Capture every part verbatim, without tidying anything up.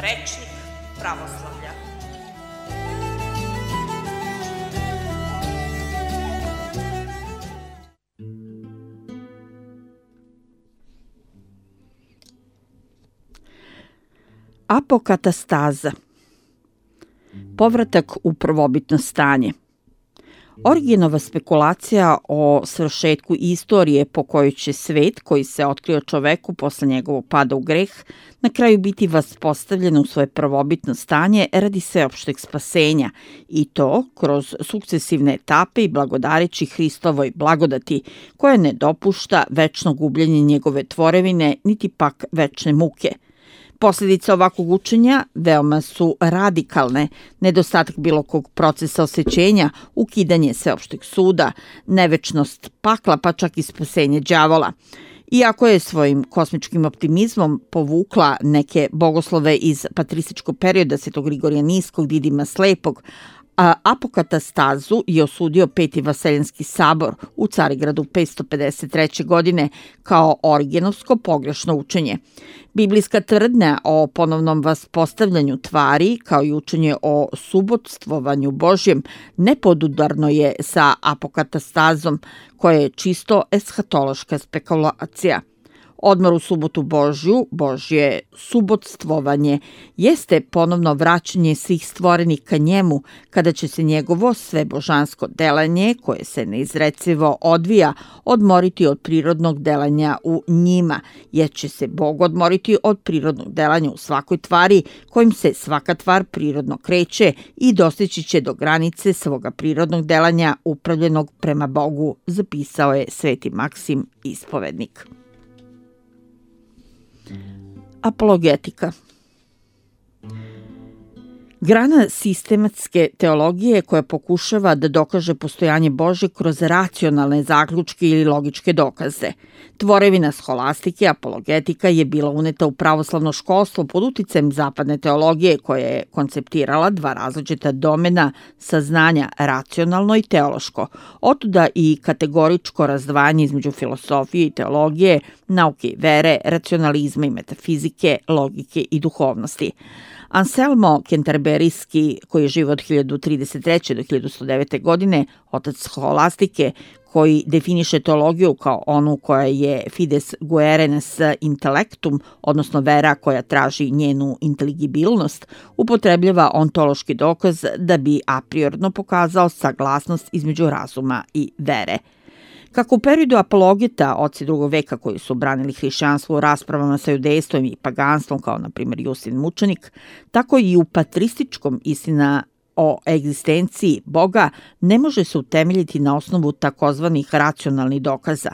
Rečnik pravoslavlja. Apokatastaza. Povratak u prvobitno stanje. Origenova spekulacija o svršetku istorije po kojoj će svet koji se otkrio čoveku posle njegovog pada u greh na kraju biti vaspostavljen u svoje prvobitno stanje radi sveopšteg spasenja i to kroz sukcesivne etape i blagodareći Hristovoj blagodati koja ne dopušta večno gubljenje njegove tvorevine niti pak večne muke. Posljedice ovakvog učenja veoma su radikalne, nedostatak bilo kog procesa osvećenja, ukidanje sveopšteg suda, nevečnost pakla pa čak i spasenje đavola. Iako je svojim kosmičkim optimizmom povukla neke bogoslove iz patrističkog perioda Svetog Grigorija Niskog, Didima Slepog, a apokatastazu je osudio Peti Vaseljenski sabor u Carigradu petsto pedeset treće. godine kao origenovsko pogrešno učenje. Biblijska tvrdnja o ponovnom vaspostavljanju tvari, kao i učenje o subotstvovanju Božjem, nepodudarno je sa apokatastazom, koja je čisto eshatološka spekulacija. Odmor u subotu Božju, Božje subotstvovanje, jeste ponovno vraćanje svih stvorenih ka njemu, kada će se njegovo svebožansko delanje, koje se neizrecivo odvija, odmoriti od prirodnog delanja u njima, jer će se Bog odmoriti od prirodnog delanja u svakoj tvari, kojim se svaka tvar prirodno kreće i dostići će do granice svoga prirodnog delanja upravljenog prema Bogu, zapisao je Sveti Maksim ispovednik. Apologetika. Grana sistematske teologije koja pokušava da dokaže postojanje Božje kroz racionalne zaključke ili logičke dokaze. Tvorevina sholastike, apologetika, je bila uneta u pravoslavno školstvo pod uticajem zapadne teologije koja je konceptirala dva različita domena saznanja, racionalno i teološko. Otuda i kategoričko razdvajanje između filosofije i teologije, nauke i vere, racionalizma i metafizike, logike i duhovnosti. Anselmo Kenterberijski, koji je živio od hiljadu trideset treće. do hiljadu sto devete. godine, otac sholastike, koji definiše teologiju kao onu koja je fides guerenes intellectum, odnosno vera koja traži njenu inteligibilnost, upotrebljava ontološki dokaz da bi a priorno pokazao saglasnost između razuma i vere. Kako u periodu apologeta, oci drugog veka koji su branili hrišćanstvo u raspravama sa judejstvom i paganstvom, kao na primjer Justin Mučenik, tako i u patrističkom istina o egzistenciji Boga ne može se utemeljiti na osnovu takozvanih racionalnih dokaza.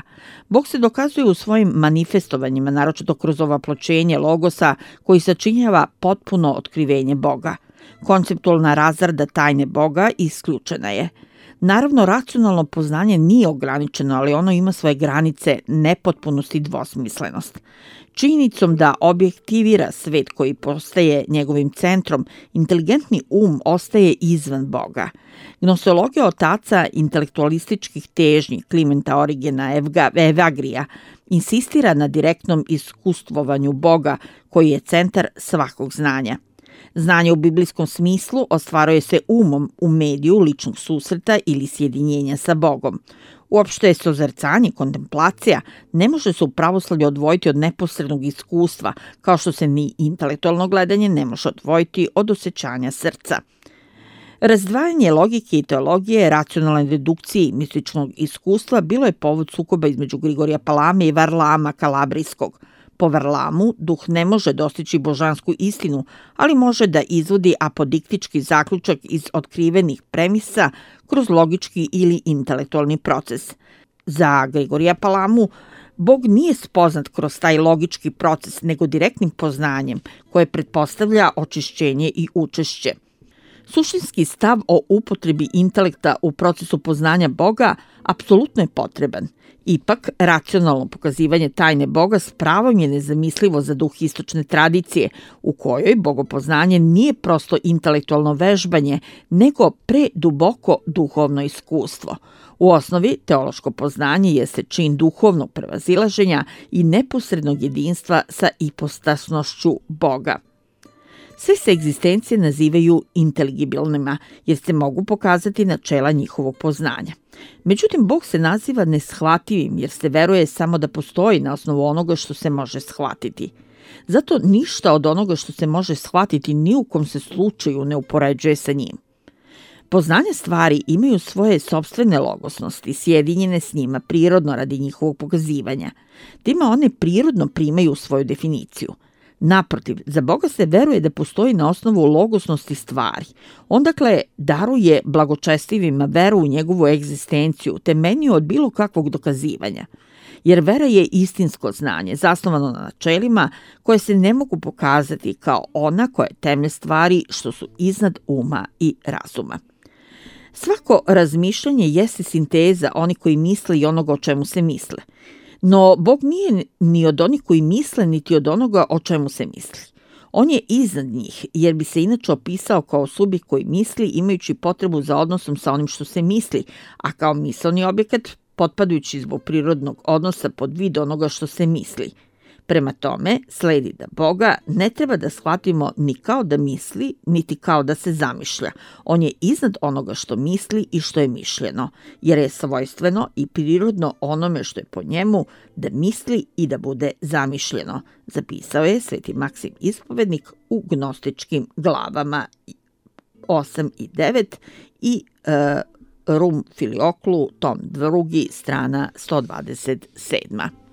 Bog se dokazuje u svojim manifestovanjima, naročito kroz ovaploćenje logosa koji sačinjava potpuno otkrivenje Boga. Konceptualna razrada tajne Boga isključena je. Naravno, racionalno poznanje nije ograničeno, ali ono ima svoje granice, nepotpunost i dvosmislenost. Činjenicom da objektivira svet koji postaje njegovim centrom, inteligentni um ostaje izvan Boga. Gnoseologija otaca intelektualističkih težnji Klimenta Origena Evagrija insistira na direktnom iskustvovanju Boga, koji je centar svakog znanja. Znanje u biblijskom smislu ostvaruje se umom u mediju ličnog susreta ili sjedinjenja sa Bogom. Uopšte sozercanje, kontemplacija ne može se u pravoslavlju odvojiti od neposrednog iskustva, kao što se ni intelektualno gledanje ne može odvojiti od osjećanja srca. Razdvajanje logike i teologije, racionalne dedukcije i mističnog iskustva bilo je povod sukoba između Grigorija Palame i Varlama Kalabrijskog. Po Varlamu, duh ne može dostići božansku istinu, ali može da izvodi apodiktički zaključak iz otkrivenih premisa kroz logički ili intelektualni proces. Za Grigorija Palamu, Bog nije spoznat kroz taj logički proces, nego direktnim poznanjem, koje pretpostavlja očišćenje i učešće. Suštinski stav o upotrebi intelekta u procesu poznanja Boga apsolutno je potreban. Ipak, racionalno pokazivanje tajne Boga s pravom je nezamislivo za duh istočne tradicije, u kojoj bogopoznanje nije prosto intelektualno vežbanje, nego preduboko duhovno iskustvo. U osnovi, teološko poznanje jeste čin duhovnog prevazilaženja i neposrednog jedinstva sa ipostasnošću Boga. Sve se egzistencije nazivaju inteligibilnima, jer se mogu pokazati načela njihovog poznanja. Međutim, Bog se naziva neshvativim, jer se veruje samo da postoji na osnovu onoga što se može shvatiti. Zato ništa od onoga što se može shvatiti ni u kom se slučaju ne upoređuje sa njim. Poznanje stvari imaju svoje sopstvene logosnosti, sjedinjene s njima prirodno radi njihovog pokazivanja. Time one prirodno primaju svoju definiciju. Naprotiv, za Boga se veruje da postoji na osnovu logosnosti stvari. On dakle daruje blagočestivima veru u njegovu egzistenciju, temeljniju od bilo kakvog dokazivanja. Jer vera je istinsko znanje, zasnovano na načelima koje se ne mogu pokazati kao ona koja je temelj stvari što su iznad uma i razuma. Svako razmišljanje jeste sinteza onih koji misle i onoga o čemu se misle. No, Bog nije ni od onih koji misle, niti od onoga o čemu se misli. On je iznad njih, jer bi se inače opisao kao subjekt koji misli, imajući potrebu za odnosom sa onim što se misli, a kao misaoni objekat potpadajući zbog prirodnog odnosa pod vid onoga što se misli. Prema tome, sledi da Boga ne treba da shvatimo ni kao da misli, niti kao da se zamišlja. On je iznad onoga što misli i što je mišljeno, jer je svojstveno i prirodno onome što je po njemu da misli i da bude zamišljeno, zapisao je Sveti Maksim Ispovednik u gnostičkim glavama osam i devet i e, Rum Filioklu, tom drugi, strana sto dvadeset sedam.